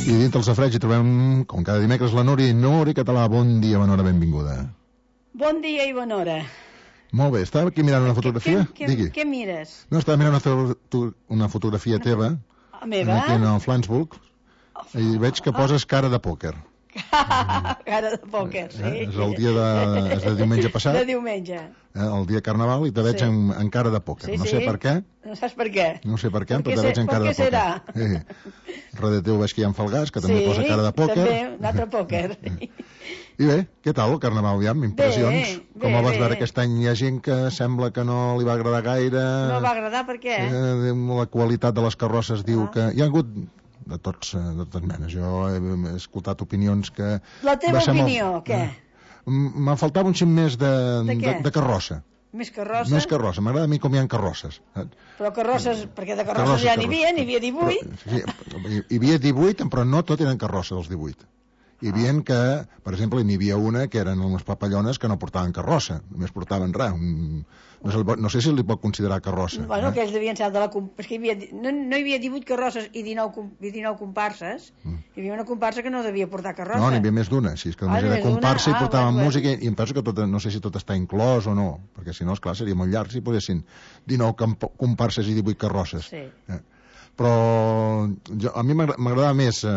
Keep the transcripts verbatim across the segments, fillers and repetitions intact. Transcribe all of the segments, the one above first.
I dintre el safareig hi trobem, com cada dimecres, la Núria. Núria Català, bon dia, bona hora, benvinguda. Bon dia i bona hora. Molt bé, estava aquí mirant una fotografia. Què, què, Digui. què mires? No, estava mirant una, foto, una fotografia teva. A meva? Aquí en el Flansburg. I veig que poses cara de pòquer. Cara de pòquer, sí. Eh? És el dia de, és de diumenge passat. De diumenge. Eh? El dia de Carnaval, i te veig Sí. en, en cara de pòquer. Sí, no sí. sé per què. No saps per què? No sé per què, Per però què te veig se- en per cara de què pòquer. serà? Sí. Darrere teu veig que hi ha en Falgàs, que també Sí, posa cara de pòquer. també, un altre pòquer. I bé, què tal el Carnaval, aviam? Impressions? Bé, Com bé, el vas bé. veure aquest any? Hi ha gent que sembla que no li va agradar gaire. No va agradar per què? Eh, la qualitat de les carrosses diu Ah. que... Hi ha hagut de tots, eh, de totes menes. Jo he, he escoltat opinions que... La teva va ser molt- opinió, què? M- Me'n faltava un xic més de, De què? de, de carrossa. Més carrossa? Més carrossa. M'agrada a mi com hi ha carrosses. saps? Però carrosses, perquè de carrosses, Carrosses, ja n'hi carrosses. havia, n'hi havia divuit. Però, sí, hi, hi havia divuit, però no tot eren carrosses, els divuit. Hi havia que, per exemple, n'hi havia una que eren unes papallones que no portaven carrossa, només portaven res. Un, no, se li pot, no sé si li pot considerar carrossa. Bueno, eh? aquells devien ser de la... com- Perquè hi havia, no, no hi havia divuit carrosses i dinou, com- i dinou comparses. Mm. Hi havia una comparsa que no devia portar carrossa. No, n'hi havia més d'una, si és que Ah, només era més d'una? comparsa i Ah, portaven bueno, música, i em penso que tot, no sé si tot està inclòs o no, perquè si no, esclar, seria molt llarg si posessin dinou camp- comparses i divuit carrosses. Sí. Eh? Però jo, a mi m'agra- m'agradava més, eh,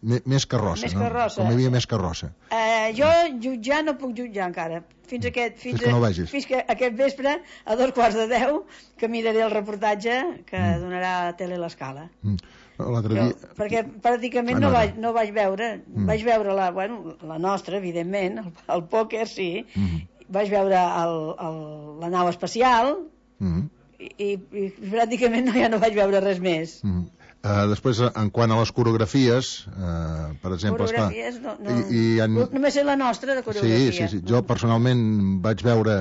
més, més carrossa, Més no? carrossa. Com hi havia més carrossa. Eh, jo jutjar no puc jutjar encara. Fins, aquest, fins, Fins que no a- vegis. fins que aquest vespre, a dos quarts de deu, que miraré el reportatge que mm. donarà a Tele l'Escala. Mm. L'altre Jo, dia... perquè pràcticament Ah, no, no, vaig, no. no vaig veure. Mm. Vaig veure la, bueno, la nostra, evidentment, el, el pòquer, sí. Mm. Vaig veure el, el, la nau espacial Mm. i, i, i pràcticament no, ja no vaig veure res més. Mm. Uh, després, en quant a les coreografies, uh, per exemple... esclar, Coreografies, no, no, i, i en... només és la nostra de Sí, coreografia. sí, sí. Jo personalment vaig veure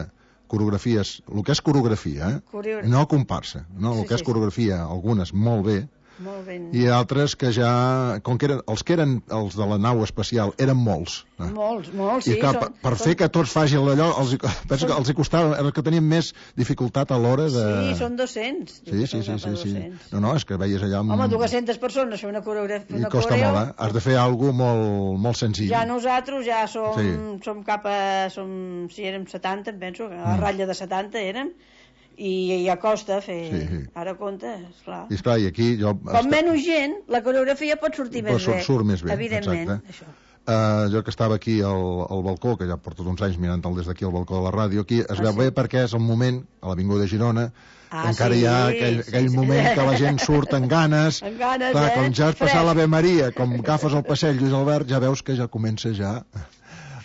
coreografies, el que és coreografia, eh? Coreogra- No comparsa, no? El Sí, que és sí, sí. coreografia, algunes molt bé, Molt ben... i altres que ja, com que eren, els que eren els de la nau espacial eren molts. Eh? Molts, molts, I sí. clar, són, per, per són, fer que tots facin allò, els, hi- penso que els hi costava, era els que tenien més dificultat a l'hora de... Sí, són dos-cents. Sí, sí, sí, sí, sí. No, no, és que veies allà... Amb... Home, dues-centes persones fer una coreografia. I Una costa coreo, molt, eh? Has de fer alguna cosa molt, molt senzill. Ja nosaltres ja som, Sí. som cap a... Som, si érem setanta, em penso, que a la Mm. ratlla de setanta érem, i ja costa fer... Sí, sí. Ara compte, esclar. I esclar, i aquí jo... Com menys gent, la coreografia pot sortir Però més surt- bé. surt més bé, Evidentment, exacte. això. Uh, jo que estava aquí al, al balcó, que ja porto uns anys mirant-el des d'aquí al balcó de la ràdio, aquí es Ah, veu sí? bé perquè és el moment, a l'Avinguda de Girona, Ah, encara sí, hi ha aquell, sí, aquell sí. moment que la gent surt amb ganes. Amb ganes, Clar, eh? com ja has passat Fresc. l'Ave Maria, com agafes el passeig Lluís Albert, ja veus que ja comença ja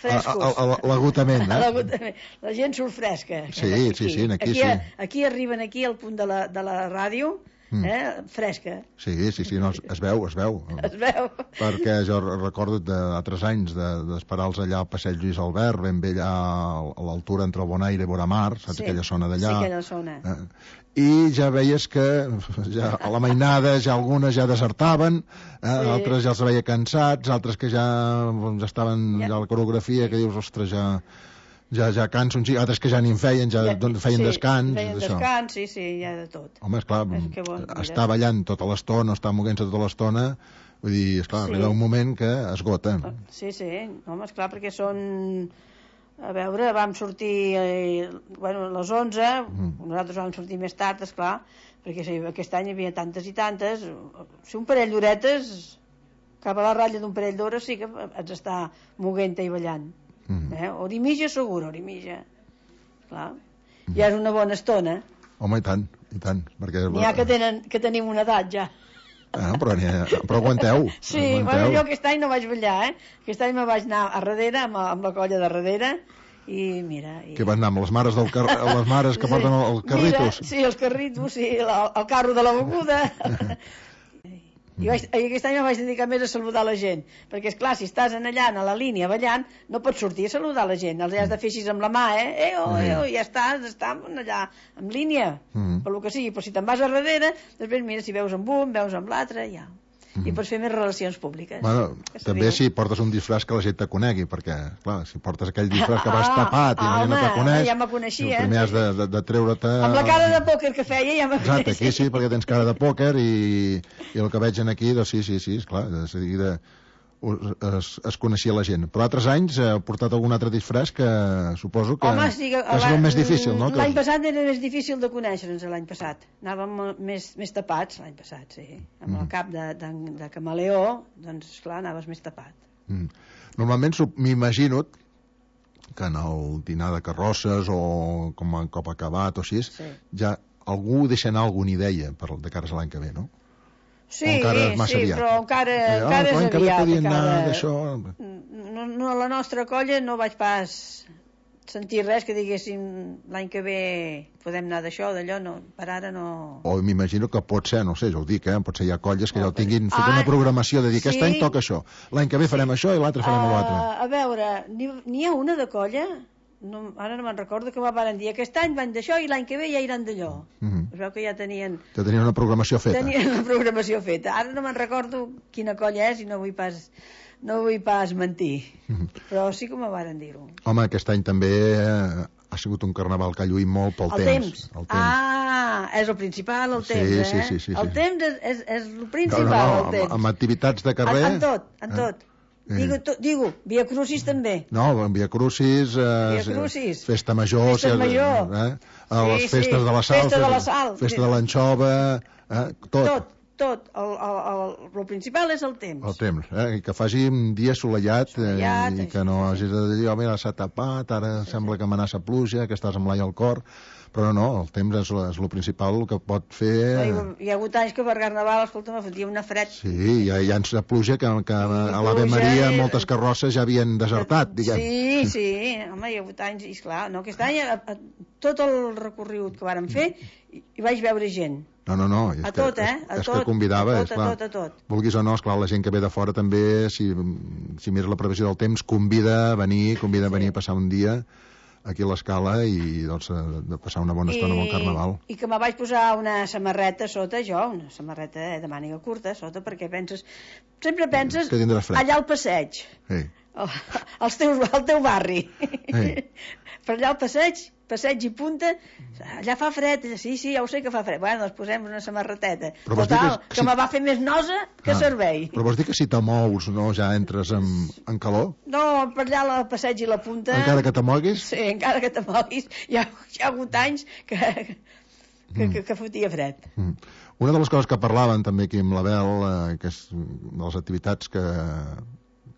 Frescos. a- a- a- l'agotament, A eh? l'agotament. La gent surt fresca. Sí, sí, sí, aquí sí. Aquí, aquí arriben aquí al punt de la, de la ràdio, Mm. eh, fresca. Sí, sí, sí, no, es, es veu, es veu. Es veu. Perquè jo recordo d'altres anys d'esperar-los allà al passeig Lluís Albert, ben bé allà a l'altura entre el Bonaire i Boramar, saps Sí, aquella zona d'allà? sí, aquella zona. Eh, I ja veies que ja, a la mainada ja algunes ja desertaven, eh, Sí. altres ja els veia cansats, altres que ja, doncs, estaven Ja. ja a la coreografia, que dius, ostres, ja, ja, ja canso un xic, altres que ja ni en feien, ja, ja doncs, feien sí, descans. Feien d'això. descans, sí, sí, hi ha de tot. Home, esclar, És que bo, mira. estar ballant tota l'estona, estar moguent-se tota l'estona, vull dir, esclar, Sí. arriba un moment que esgota. Sí, sí, home, esclar, perquè són... A veure, vam sortir eh, bueno, a les onze, Mm. nosaltres vam sortir més tard, esclar, perquè sí, aquest any hi havia tantes i tantes. Si un parell d'horetes, cap a la ratlla d'un parell d'hores, sí que ets està moguent-te i ballant. Mm. Eh? Hora i mitja, segur, hora i mitja. Clar. Ja és una bona estona. Home, i tant, i tant. Perquè... N'hi ha que, tenen, que tenim una edat ja. Ah, però, ha, però aguanteu. Sí, aguanteu. bueno, jo aquest any no vaig ballar, eh? Aquest any me vaig anar a darrere, amb, amb la colla de darrere, i mira... I... Que van anar amb les mares, del car... les mares que Sí. porten el, el carritos. Mira, sí, els carritos, sí, la, el carro de la beguda. I vaig, i aquest any me vaig dedicar més a saludar la gent, perquè, és clar, si estàs en allà, a la línia, ballant, no pots sortir a saludar la gent, els has de fer així amb la mà, eh? Eh, oh, eh, oh, ja estàs, estàs allà, en línia, Mm. per lo que sigui, però si te'n vas a darrere, després mira, si veus amb un, veus amb l'altre, ja. mm. i pots fer més relacions públiques. Bueno, també bé. Si portes un disfraç que la gent te conegui, perquè, clar, si portes aquell disfraç que vas ah, tapat i la gent no te coneix, ja me coneixia. Primer has de, de, de treure-te... Amb la cara de pòquer que feia ja me coneixia. Exacte, aquí sí, perquè tens cara de pòquer i, i el que veig aquí, doncs sí, sí, sí, esclar, de seguida es, es coneixia la gent. Però altres anys ha portat algun altre disfraç que suposo que Home, sí, que és el més difícil, no? L'any passat era més difícil de conèixer-nos, l'any passat. Anàvem més, més tapats, l'any passat, sí. Amb mm. el cap de, de, de camaleó, doncs, esclar, anaves més tapat. Mm. Normalment m'imagino que en el dinar de carrosses o com a cop acabat o així, sí. ja algú deixa anar alguna idea per, de cara a l'any que ve, no? Sí, sí, aviat. Però encara, eh, encara oh, és aviat. Encara... No, no, la nostra colla no vaig pas sentir res que diguéssim l'any que ve podem anar d'això, d'allò, no, per ara no... O m'imagino que pot ser, no sé, ja ho dic, eh? Pot ser hi ha colles que ja ho tinguin fet ah, una programació de dir aquest sí? any toca això, l'any que ve farem sí. això i l'altre farem uh, l'altre. A veure, n'hi ha una de colla... No, ara no me'n recordo que van dir aquest any van d'això i l'any que ve ja iran d'allò. Mm-hmm. Es veu que ja tenien... Ja tenien una programació feta. Tenien una programació feta. Ara no me'n recordo quina colla és i no vull pas, no vull pas mentir. Mm-hmm. Però sí que me varen dir-ho. Home, aquest any també ha sigut un carnaval que ha lluït molt pel el temps. temps. El temps. Ah, és el principal, el temps, sí, eh? Sí, sí, sí, sí. El temps és, és, és el principal, no, no, no, el temps. Amb, amb activitats de carrer... En, en tot, en eh? tot. Digo, to, digo, Via Crucis també. No, en Via Crucis, eh, Via Crucis. Festa Major, Festa Major. Eh, a les sí, festes sí. de la Sal, Festa de la Sal. Festa de l'Anxova, eh, tot. Tot, tot. El, el, el, el principal és el temps. El temps, eh, i que faci un dia assolellat, assolellat eh, i que no hagis de dir, oh, mira, s'ha tapat, ara sí, sembla sí. que amenaça pluja, que estàs amb l'ai al cor... Però no, el temps és, és el principal que pot fer... Hi ha hagut anys que per Carnaval, escolta, me fotia una fred. Sí, hi ha, hi ha anys de pluja que, que a l'Ave Maria i... moltes carrosses ja havien desertat, diguem. Sí, sí, home, hi ha hagut anys, i esclar, no, aquest any, a, a, tot el recorregut que vàrem fer, hi vaig veure gent. No, no, no, és, a tot, que, eh? és, a és tot, que convidava, a tot, esclar, a tot, a tot. Vulguis o no, esclar, la gent que ve de fora també, si, si mires la previsió del temps, convida a venir, convida a venir sí. a passar un dia aquí a l'Escala i doncs, de passar una bona estona I, amb el Carnaval. I que me vaig posar una samarreta sota jo, una samarreta de màniga curta sota, perquè penses, sempre penses allà al passeig, sí. el, els teus, el teu barri, sí. per allà al passeig, passeig i punta, allà fa fred, sí, sí, ja ho sé que fa fred, bueno, doncs posem una samarreteta, però total, que, que, que si... me va fer més nosa que ah, servei. Però vols dir que si te mous, no, ja entres en, en calor? No, per allà al passeig i la punta... Encara que te moguis? Sí, encara que te moguis, hi ha, hi ha hagut anys que, que, mm. que, que fotia fred. Mm. Una de les coses que parlaven també aquí amb l'Abel, eh, que és de les activitats que...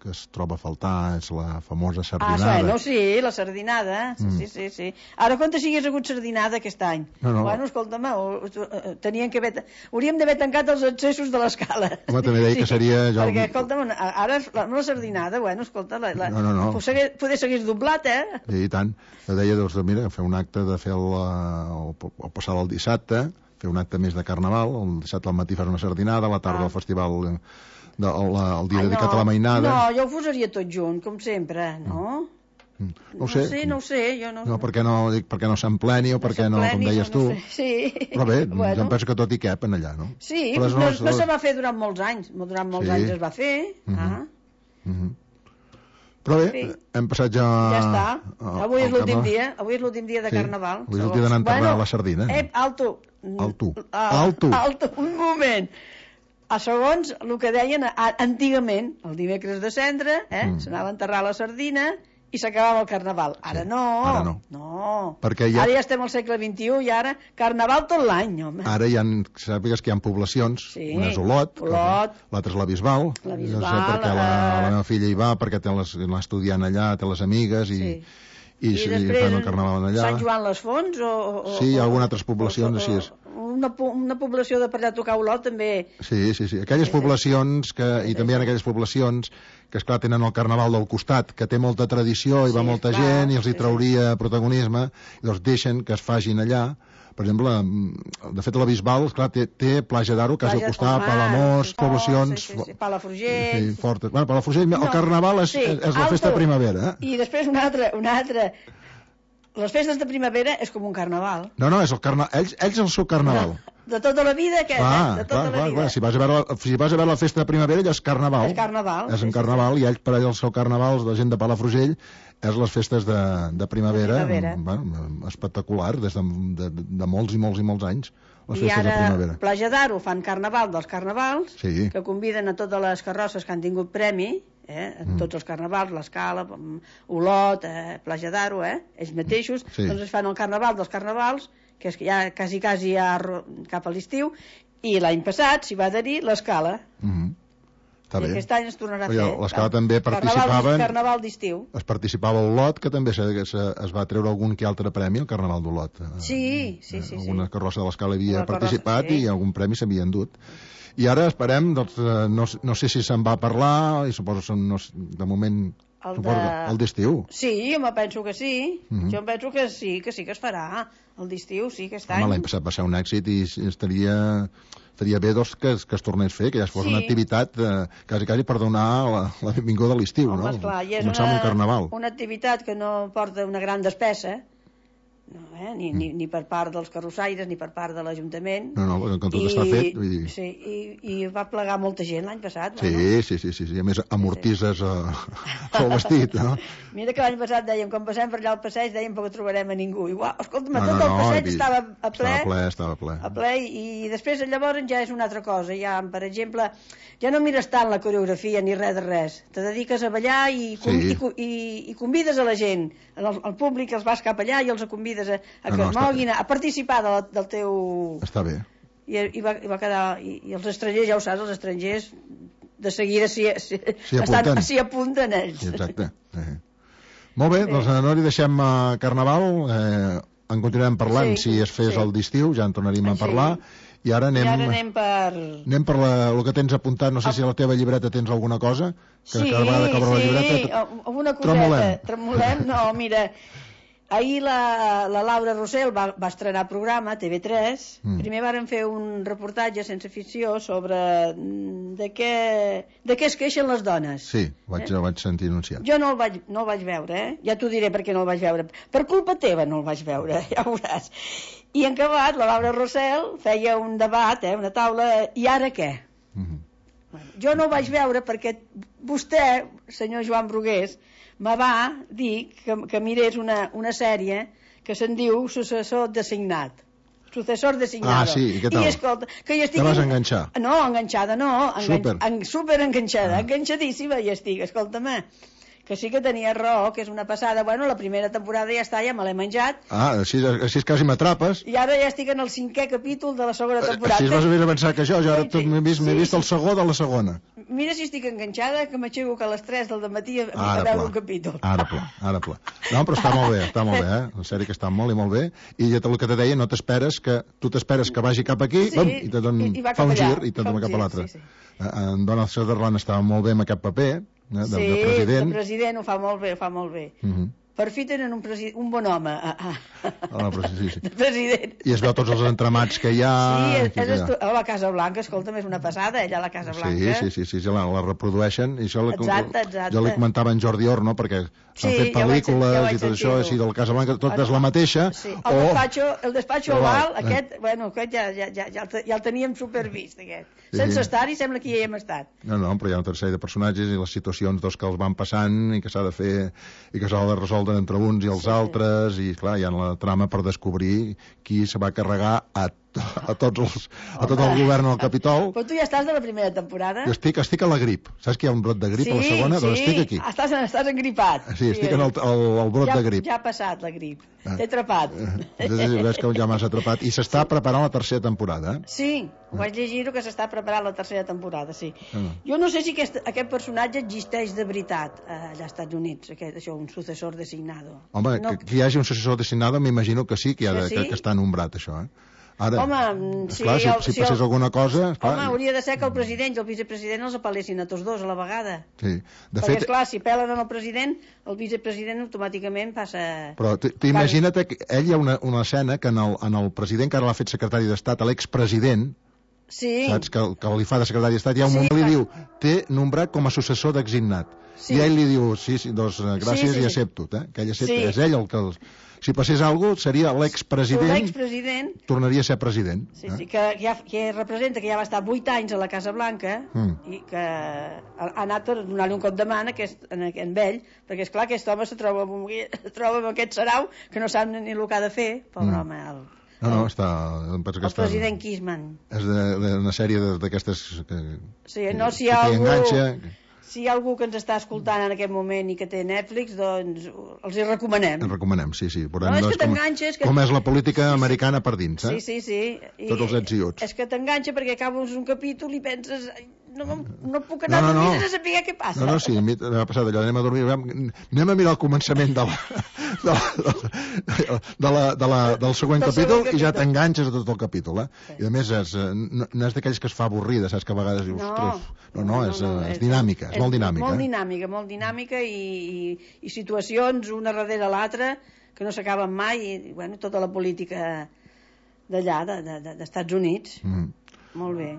que es troba a faltar, és la famosa sardinada. Ah, bueno, sí, la sardinada, sí, mm. sí, sí, sí. Ara, quanta si hagués hagut sardinada aquest any? No, no. Bueno, escolta'm, tenien que haver... Hauríem d'haver tancat els accessos de l'Escala. Home, també deia sí, que seria... Jo... Perquè, escolta'm, ara la, la sardinada, bueno, escolta, la, la... no, no, no. poder s'hagués doblat, eh? Sí, i tant. Deia, doncs, mira, fer un acte de fer el, el, el passar el dissabte, fer un acte més de Carnaval, el dissabte al matí fer una sardinada, a la tarda ah. el festival... De, el, el dia Ai, dedicat no, a la mainada. No, jo ho posaria tot junt, com sempre, no? Mm. No ho sé. No sé, no ho sé. Jo no... no, perquè no, dic, perquè no s'empleni o no perquè no, com deies tu. No, no sé. Sí. Però bé, bueno. jo em penso que tot hi cap en allà, no? Sí, però no, no, no, no se va fer durant molts anys. Durant molts sí. anys es va fer. Mm -hmm. ah. mm -hmm. Però bé, sí. hem passat ja... Ja està. Avui és l'últim dia. Avui és l'últim dia de sí. Carnaval. Avui és el dia d'anar a enterrar bueno, la sardina. Eh, alto. Alto. Ah, alto. Alto, un moment. A segons el que deien antigament, el dimecres de cendre, eh, mm. s'anava a enterrar la sardina i s'acabava el Carnaval. Ara sí. no. Ara no. no. Perquè ja... Ara ja estem al segle vint-i-u i ara Carnaval tot l'any, home. Ara hi ha, sàpigues que hi ha poblacions, sí. una és Olot, Olot. l'altra és la Bisbal. La Bisbal. No sé perquè la, la meva filla hi va, perquè té les, l'ha estudiant allà, té les amigues i... Sí. I, I després fan el Carnaval allà. Sant Joan les Fonts o, o, sí, hi ha algunes altres poblacions o, o, així. Una, una població de per allà a tocar Olot també. Sí, sí, sí. Aquelles sí, poblacions que, i sí, també hi ha aquelles poblacions que esclar tenen el Carnaval del costat, que té molta tradició i sí, va molta clar, gent i els hi trauria sí, sí. protagonisme i doncs deixen que es facin allà. Per exemple, de fet la Bisbal, esclar, té, té Platja d'Aro, quasi al costat, Palamós, poblacions... Sí, sí, sí. Palafrugell... Sí, fortes. Bueno, Palafrugell, no, el Carnaval és, sí, és la festa de primavera. Eh? I després una altra, una altra... Les festes de primavera és com un carnaval. No, no, és el carnaval. Ells, ells el seu carnaval. No. de tota la vida, aquest, clar, eh? De tota clar, la clar, vida. clar. Si vas a veure, la- si vas a veure la festa de primavera, allò és carnaval. És carnaval. És sí, en sí, carnaval, i ells, per allà, el seu carnaval, la gent de Palafrugell, és les festes de, de primavera, De primavera. bueno, espectacular, des de, de, de molts i molts i molts anys, les I festes de ara, primavera. Platja d'Aro fan carnaval dels carnavals, Sí. que conviden a totes les carrosses que han tingut premi, eh? En Mm. tots els carnavals, l'Escala, mm, Olot, eh? Platja d'Aro, eh? ells mateixos, Sí. doncs es fan el carnaval dels carnavals, que és que ja quasi, quasi ja ro- cap a l'estiu, i l'any passat s'hi va adherir l'Escala. Mhm. Està I bé. aquest any es tornarà a Perquè fer. l'Escala també Carnaval, participaven- carnaval d'estiu. Es participava a Olot, que també se, se, es va treure algun que altre premi al Carnaval d'Olot. Eh, Sí, sí, sí. sí. Alguna carrossa de l'Escala havia Una carrossa, participat sí. i algun premi s'havien dut. I ara esperem, doncs, eh, no, no sé si se'n va parlar, i suposo que no, de moment El suposo, de- el d'estiu. Sí, home, penso que sí. Mhm. Jo em penso que sí, que sí que es farà. El d'estiu, sí, aquest Home, any. l'any passat va ser un èxit i estaria, estaria bé doncs, que, es- que es tornés a fer, que ja fos Sí. una activitat eh, quasi, quasi per donar la, la benvinguda a l'estiu, Home, no? esclar, i és Començar amb un carnaval. una activitat que no porta una gran despesa, no, eh? ni, ni, ni per part dels carrossaires ni per part de l'Ajuntament. No, no, perquè com tot I- està fet, vull dir... Sí, i, i va plegar molta gent l'any passat. Sí, Bueno. sí, sí, sí, sí. A més, amortises eh, el vestit, no? Mira que l'any passat dèiem, quan passem per allà al passeig, dèiem que trobarem a ningú. Igual, escolta'm, No, tot no, el no, passeig i- estava a ple, Estava ple, estava ple. a ple i, i després llavors ja és una altra cosa. Ja, per exemple, ja no mires tant la coreografia ni res de res. Te dediques a ballar i, com, Sí. i, co- i, i convides a la gent, el, el públic els vas cap allà i els convides a, a No, que no, es està moguin, a, a participar de la, del teu... Està bé. I, i, va, i va quedar... I, I els estrangers, ja ho saps, els estrangers de seguida s'hi si, S'hi apunten. s'hi apunten ells. Sí, exacte. Eh. Molt bé, doncs no li deixem uh, Carnaval, eh, en continuarem parlant Sí, si es fes sí. el d'estiu, ja en tornaríem a Sí. parlar, i ara anem, I ara anem per... anem per la, el que tens apuntat, no sé si a la teva llibreta tens alguna cosa, que Sí, cada vegada que obre la sí, llibreta... alguna coseta. Tremolem. Tremolem, no, mira, ahir la, la Laura Rossell va, va estrenar programa a T V tres. Mm. Primer varen fer un reportatge sense ficció sobre mm, de què, de què es queixen les dones. Sí, vaig, Eh? ho vaig sentir anunciat. Jo no el vaig, no el vaig veure, eh? Ja t'ho diré per què no el vaig veure. Per culpa teva no el vaig veure, ja ho veuràs. I en acabat, la Laura Rossell feia un debat, eh? Una taula, i ara què? Mm -hmm. Jo no ho vaig veure perquè vostè, senyor Joan Brugués, me va dir que, que mirés una, una sèrie que se'n diu Successor designat. Successor designado. Ah, sí, i què tal? I escolta, que jo estic... Te vas enganxar? No, enganxada no. Engan... Súper. En, super enganxada, Ah. enganxadíssima hi estic, escolta'm. Que sí que tenia raó, que és una passada. Bueno, la primera temporada ja està, ja me l'he menjat. Ah, així, així quasi m'atrapes. I ara ja estic en el cinquè capítol de la segona temporada. Així vas més avançat que jo, jo ara Sí, tot m'he vist, m'he sí, vist el sí. segon de la segona. Mira si estic enganxada, que m'aixeco que a les tres del matí a, a Ara veure pla, un capítol. ara pla, ara pla. No, però està molt bé, està molt bé, eh? La sèrie que està molt i molt bé. I ja el que te deia, no t'esperes que... Tu t'esperes que vagi cap aquí, Sí, bum, i te don, i- i va fa cap un allà, gir i te fa un dona cap gir, a l'altre. sí, sí. Eh, En Donald Sutherland estava molt bé amb aquest paper, eh, de, Sí, de president. de president ho fa molt bé, ho fa molt bé. Uh -huh. Per fi tenen un, presi... un bon home a, a... Ah, però sí, sí. de president. I es veu tots els entramats que hi ha... Sí, és, que hi és ha. estu... a la Casa Blanca, escolta'm, és una passada, ella a la Casa Sí, Blanca. sí, sí, sí, sí la, la reprodueixen i això la, Exacte, exacte. jo li comentava a en Jordi Orno perquè s'han Sí, fet ja ho vaig pel·lícules sentir, ja ho vaig i tot això sentir-ho. així del Casablanca, tot Ah, és la mateixa Sí, el despatxo, el despatxo Oval, oval, eh. aquest, bueno, aquest ja, ja, ja, ja, el, te- ja el teníem supervist, aquest. Sí. Sense estar-hi, sembla que hi hem estat. no, no, però hi ha una tercera de personatges i les situacions doncs, que els van passant i que s'ha de fer i que s'ha de resoldre entre uns i els Sí. altres i clar, hi ha la trama per descobrir qui se va carregar a, a, tots els, a tot el govern al Capitol. Però tu ja estàs de la primera temporada? Jo estic, estic a la grip, saps que hi ha un brot de grip sí, a la segona? sí, Doncs estic aquí. Estàs, estàs engripat. Sí, estic en el, el, el brot ja, de grip. Ja ha passat la grip. Ah. T'he atrapat. Entonces, ves que ja m'has atrapat. I s'està preparant la tercera temporada, eh? Sí, ho vaig llegir que s'està preparant la tercera temporada, sí. Ah. Jo no sé si aquest, aquest personatge existeix de veritat eh, allà als Estats Units, aquest, això, un successor designado. Home, no, que, que hi hagi un successor designat, m'imagino que sí, que, hi ha de, Que sí? que, que està nombrat, això, eh? Ara, Home, si, esclar, si, el- si si passés el- alguna cosa... Esclar, Home, hauria de ser que el president i el vicepresident els apel·lessin a tots dos a la vegada. sí. De Perquè, fet, esclar, si pelen el president, el vicepresident automàticament passa... però t- t'imagina't que ell hi ha una, una escena que en el, en el president que ara l'ha fet secretari d'Estat, l'expresident, Sí, saps, que, que li fa de secretari d'Estat, hi ha un Sí, moment que li clar. diu, té nombrat com a successor designat. Sí. I ell li diu, sí, sí, doncs eh, gràcies Sí, sí, i sí. accepto, eh? Que ell accepta, Sí. és ell el que... Els... si passés alguna cosa, seria l'expresident... L'expresident... Tornaria a ser president. Sí, sí, que, que, ja, que representa que ja va estar vuit anys a la Casa Blanca mm. i que ha, ha anat per donar-li un cop de mà a aquest, en, en ell, perquè, esclar, aquest home se troba amb, es troba amb aquest sarau que no sap ni el que ha de fer, pobre mm. home. El, no, no, està... Em penso que el està, president Kisman. És d'una sèrie d'aquestes... Que, sí, no, si hi ha algú... Enganxa, si hi ha algú que ens està escoltant en aquest moment i que té Netflix, doncs els hi recomanem. Els recomanem, sí, sí. Veurem, no, és doncs, que t'enganxes... Com, com és la política americana per dins, eh? Sí, sí, sí. I tots els ets i uts. És que t'enganxa perquè acabes un capítol i penses... No, no puc anar no, no, a dormir no. sense saber què passa. No, no, sí, m'ha passat allò, anem a dormir, anem a mirar el començament de la, de la, de la, de la, del següent del capítol, capítol i ja t'enganxes a tot el capítol, eh? Sí. I a més és, no, no és d'aquells que es fa avorrida, saps que a vegades dius, no, no, no, és, no, no, és, és dinàmica, és, és molt dinàmica. Molt eh? dinàmica, molt dinàmica i, i, i situacions una darrere l'altra que no s'acaben mai i, bueno, tota la política d'allà, d'Estats de, de, Units. Mm. Molt bé.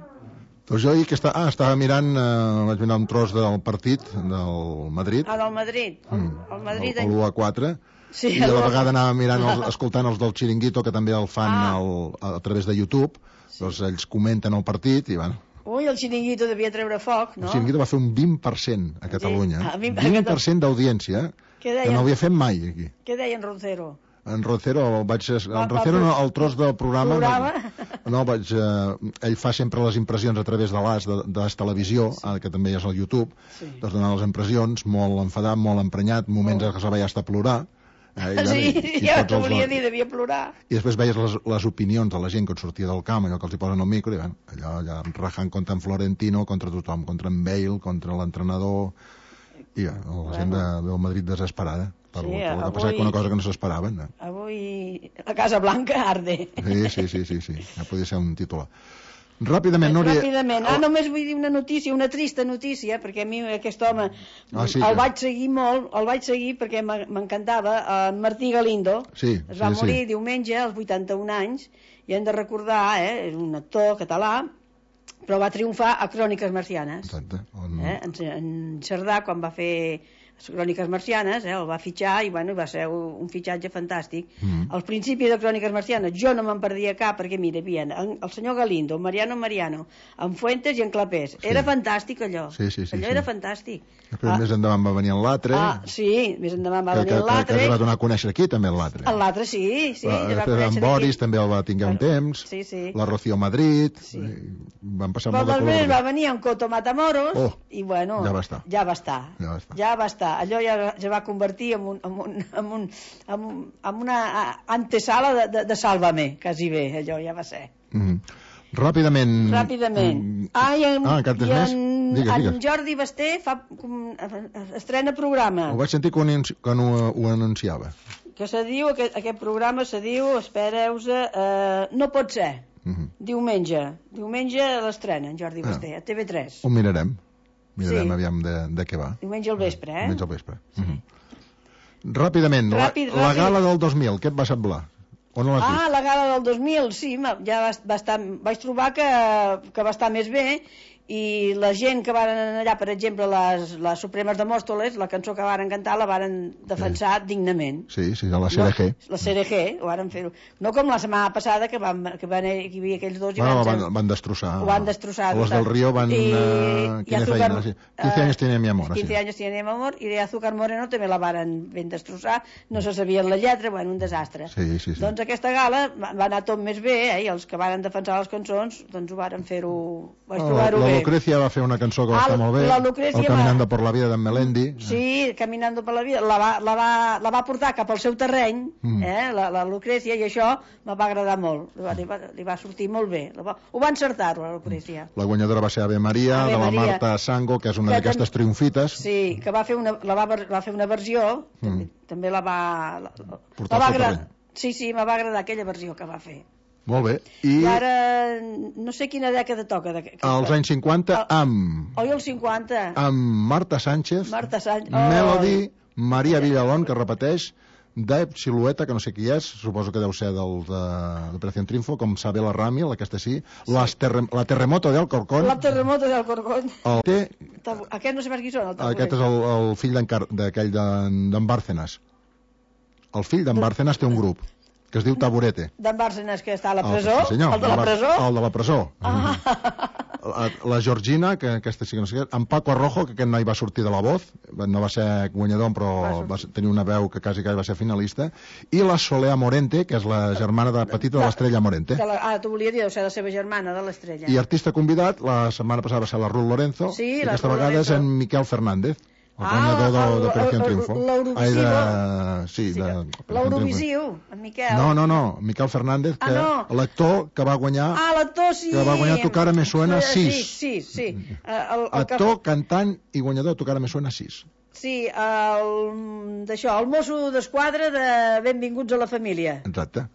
Doncs jo ahir que està, ah, estava mirant, eh, vaig mirar un tros del partit del Madrid. Ah, del Madrid. El, el Madrid. El, el u a quatre. Sí, i a la vegada anava mirant, els, escoltant els del Chiringuito, que també el fan ah. el, a, a través de YouTube. Sí. Doncs ells comenten el partit i, bueno... Ui, el Chiringuito devia treure foc, no? El Chiringuito va fer un vint per cent a Catalunya. Sí. A mi, vint per cent d'audiència, que no havia fet mai aquí. Què deia en Roncero? En Roncero, el vaig, en Roncero no, el tros del programa, programa? No, no vaig, eh, ell fa sempre les impressions a través de l'As, de, de la televisió, sí. que també és al YouTube, sí. doncs donar les impressions, molt enfadat, molt emprenyat, moments oh. que se veia hasta plorar. Eh, i sí, i, i ja t'ho volia dir, devia plorar. I després veies les, les opinions de la gent que et sortia del camp, allò que els hi posen al micro, i bueno, allò, allò rajant contra en Florentino, contra tothom, contra en Bale, contra l'entrenador, i ja, la bueno. gent de, del Madrid desesperada. Per, sí, per avui, passat una cosa que no s'esperaven. No? Avui la Casa Blanca arde. Sí, sí, sí, sí, sí. Ja podria ser un titular. Ràpidament, Núria... Ràpidament. Ah, només vull dir una notícia, una trista notícia, perquè a mi aquest home ah, sí, el que... vaig seguir molt, el vaig seguir perquè m'encantava, en Martí Galindo. Sí, es va sí, morir sí. diumenge, als vuitanta-un anys, i hem de recordar, eh, és un actor català, però va triomfar a Cròniques Marcianes. Exacte. On... Eh, en, en Cerdà, quan va fer les Cròniques Marcianes, eh, el va fitxar i bueno, va ser un fitxatge fantàstic. Mm. Al principi de Cròniques Marcianes jo no me'n perdia cap perquè mira, havia el, el senyor Galindo, Mariano Mariano, en Fuentes i en Clapés. Sí. Era fantàstic allò. Sí, sí, sí, allò sí. era fantàstic. Després ah. més endavant va venir l'altre. Ah, sí, més endavant va que, venir l'altre. Que, que, que es va donar a conèixer aquí també l'altre. L'altre sí, sí. La, després en Boris aquí. També el va tinguer un temps. Sí, sí. La Rocío Madrid. Sí. Van passar però molt de color. Després va venir en Coto Matamoros oh, i bueno, ja va estar. Ja va estar. Ja va estar. Ja va estar. Allò ja es va convertir en, un, en, un, en, un, en, un, en una antesala de, de, de Sálvame, quasi bé, allò ja va ser. Mm. Ràpidament... Ràpidament. Mm. Ah, i en, ah, i en, digues, en digues. Jordi Basté fa, estrena programa. Ho vaig sentir quan, quan ho, ho anunciava. Que se diu, aquest, aquest programa se diu, espereu-se, eh, No pot ser. Uh -huh. Diumenge. Diumenge l'estrena, en Jordi Basté, ah. a T V tres. Ho mirarem. Mirarem sí. aviam de, de què va. Diumenge al vespre, eh? Diumenge al vespre. Sí. Uh -huh. Ràpidament, ràpid, la, la gala del dos mil, què et va semblar? On l'has ah, vist? La gala del dos mil, sí, ja va, va estar, vaig trobar que, que va estar més bé i la gent que van allà, per exemple, les, les Supremes de Mòstoles, la cançó que varen cantar la varen defensar sí. dignament. Sí, sí, la C R G. No, la C R G, ho varen fer-ho. No com la setmana passada, que, van, que, van, que hi havia aquells dos... I bueno, van, van, van destrossar. Ho van destrossar. Los del Río van... I, uh, quina Azúcar, feina? Sí. quinze anys tiene mi amor. quinze anys tiene mi amor, i de Azúcar Moreno també la varen ben destrossar, no se sabien la lletra, bueno, un desastre. Sí, sí, sí. Doncs aquesta gala va anar tot més bé, eh, i els que varen defensar les cançons, doncs ho varen fer-ho... Vaig oh, trobar-ho bé. La Lucrecia va fer una cançó que va ah, estar molt bé, el Caminando va... por la vida d'en Melendi. Sí, Caminando por la vida, la va, la va, la va portar cap al seu terreny, mm. eh, la, la Lucrecia, i això me va agradar molt, li va, li va sortir molt bé, va, ho va encertar, la Lucrecia. La guanyadora va ser Ave Maria, Ave de la Maria. Marta Sango, que és una d'aquestes tam... triomfites. Sí, que va fer una, la va, va fer una versió, mm. també, també la va... La, la va agradar. Sí, sí, me va agradar aquella versió que va fer. Molt bé. I, I ara no sé quina dècada toca. De... Als anys cinquanta amb... Oi, els cinquanta. Amb Marta Sánchez, Marta Sánchez. Melody, Maria Villalón, que repeteix, Dave Silueta, que no sé qui és, suposo que deu ser del de l'Operació Triunfo, com Sabela Rami, aquesta sí, sí. Les terre... la Terremoto del Corcón. La Terremoto del Corcón. El té... Aquest no sé per qui són. El aquest és el, el fill d'aquell d'en Bárcenas. el fill d'en Bárcenas té un grup que es diu Taburete. D'en Bárcenas, que està a la El, presó? sí, senyor, El de la presó? El de la presó. Ah. La, la Georgina, que aquesta sí que no sé què, en Paco Arrojo, que aquest noi va sortir de la Voz, no va ser guanyador, però va, va tenir una veu que quasi quasi va ser finalista, i la Solea Morente, que és la germana de petita de l'Estrella Morente. De la, ah, tu volia dir, deu ser la seva germana, de l'Estrella. I artista convidat, la setmana passada va ser la Ruth Lorenzo, sí, i la aquesta Ruth vegada Lorenzo. és en Miquel Fernández, el Ah, guanyador de, el- de Operación el- Triunfo. l'Eurovisivo. Ai, de... Sí, Sí, de... l'Eurovisiu, en Miquel. No, no, no, Miquel Fernández, que Ah, no. l'actor que va guanyar... Ah, l'actor, sí. Que va guanyar Tu cara me suena Sí, sis. Sí, sí, sí. El, el, el que- Actor, cantant i guanyador, Tu cara me suena sis. Sí, el, d'això, el mosso d'esquadra de Benvinguts a la família. Exacte.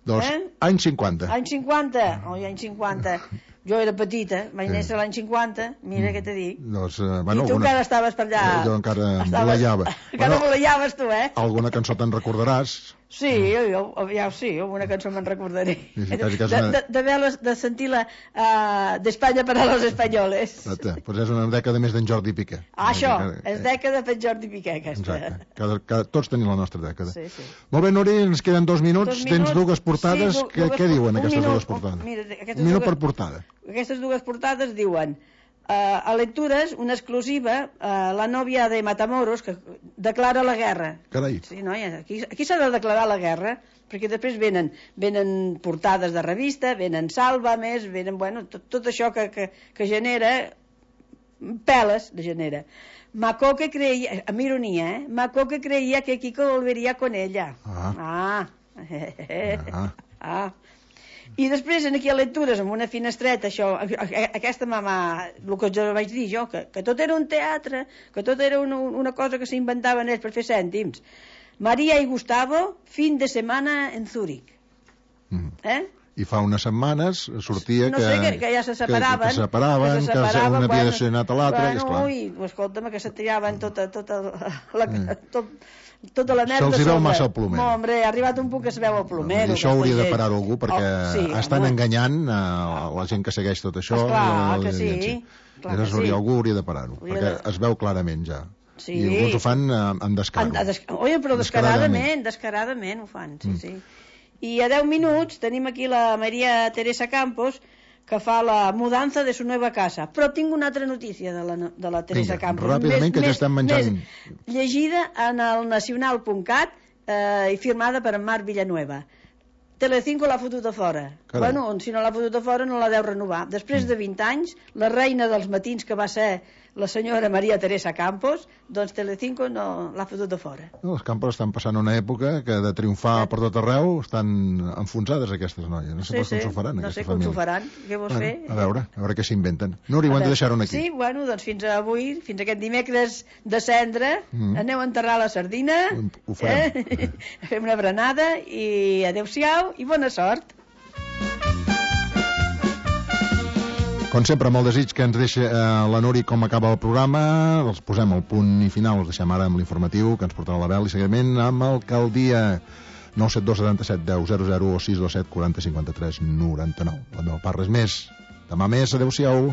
Doncs, Eh? anys cinquanta. Any cinquanta? Oi, any cinquanta. Jo era petita, vaig néixer l'any cinquanta, mira què t'he dit. Doncs, eh, bueno, I tu alguna... encara estaves per allà. Eh, jo encara Estaves- voleiava. Encara Bueno, voleiaves tu, eh? alguna cançó te'n recordaràs. Sí, jo, ja sí, alguna cançó me'n recordaré. Sí, sí, quasi, quasi de, una- de, de, veure, de sentir la uh, d'Espanya per a los espanyoles. Exacte. Pues és una dècada més d'en Jordi Piqué. Ah, això, Eh, és dècada per Jordi Piqué, aquesta. Exacte. Cada, cada, tots tenim la nostra dècada. Sí, sí. Molt bé, Nuri, ens queden dos minuts. Dos Tens minuts. dues portades. Sí, du- què, dues què por- diuen un aquestes minut. dues portades? Mira, aquestes un minut dues- per portada. Aquestes dues portades diuen uh, a lectures, una exclusiva, uh, la nòvia de Matamoros, que declara la guerra. Carai. Sí, noia, aquí, aquí s'ha de declarar la guerra, perquè després venen, venen portades de revista, venen sàlvames, venen, bueno, tot, tot això que, que, que genera, peles de genera. Macoque creia, amb ironia, eh? Macoque creia que Kiko volvería con ella. Ah. Ah. Ah. Ah. I després, en aquí a lectures, amb una finestreta, això, aquesta mamà, el que jo vaig dir jo, que, que tot era un teatre, que tot era una, una cosa que s'inventaven ells per fer cèntims. Maria i Gustavo, fin de setmana en Zúrich. Mm. Eh? I fa unes setmanes sortia no que, sé, que, que ja se separaven, que, que se separaven, que, se separaven, un havia bueno, de ser anat a l'altre, bueno, i esclar. ui, escolta'm, que se tiraven tota, tota la, mm. tot, tota la merda Se'ls hi veu sobre. massa el plomero. No, hombre, ha arribat un punt que es veu el plomero. I això hauria de gent. parar algú, perquè Oh, sí, estan home. enganyant uh, la gent que segueix tot això. Esclar, i la- que sí, l'audiència. clar I que sí. hauria, algú hauria de parar-ho, Hauria perquè de- es veu clarament ja. Sí. I alguns ho fan uh, amb descaro. En, des... Oi, però descaradament, descaradament ho fan, sí, Mm. sí. I a deu minuts tenim aquí la Maria Teresa Campos, que fa la mudança de su nueva casa. Però tinc una altra notícia de la, de la Teresa Vinga, Campos. ràpidament, que ja estem menjant. Més llegida en el nacional punt cat eh, i firmada per en Marc Villanueva. Telecinco l'ha fotut a fora. Carai. Bueno, si no l'ha fotut a fora no la deu renovar. Després de vint anys, la reina dels matins, que va ser la senyora Maria Teresa Campos, doncs Telecinco no l'ha fotut a fora. No, els Campos estan passant una època que de triomfar per tot arreu estan enfonsades aquestes noies. No sé Sí, pas com sí, s'ho faran, no aquesta sé com família. s'ho faran. Què vols Bueno, fer? a veure, a veure què s'inventen. Nuri, ho hem de deixar-ho aquí. Sí, bueno, doncs fins a avui, fins a aquest dimecres de cendre, Mm. aneu a enterrar la sardina, Ho- ho farem. eh? fem una berenada i adeu-siau i bona sort. Com sempre, amb el desig que ens deixa eh, la Nuri com acaba el programa, els posem el punt i final, els deixem ara amb l'informatiu que ens portarà la Bel i seguiment amb Alcaldia nou set dos setanta set deu zero zero o sis dos set quaranta cinquanta tres noranta nou. La meva part res més. Demà més, adeu-siau.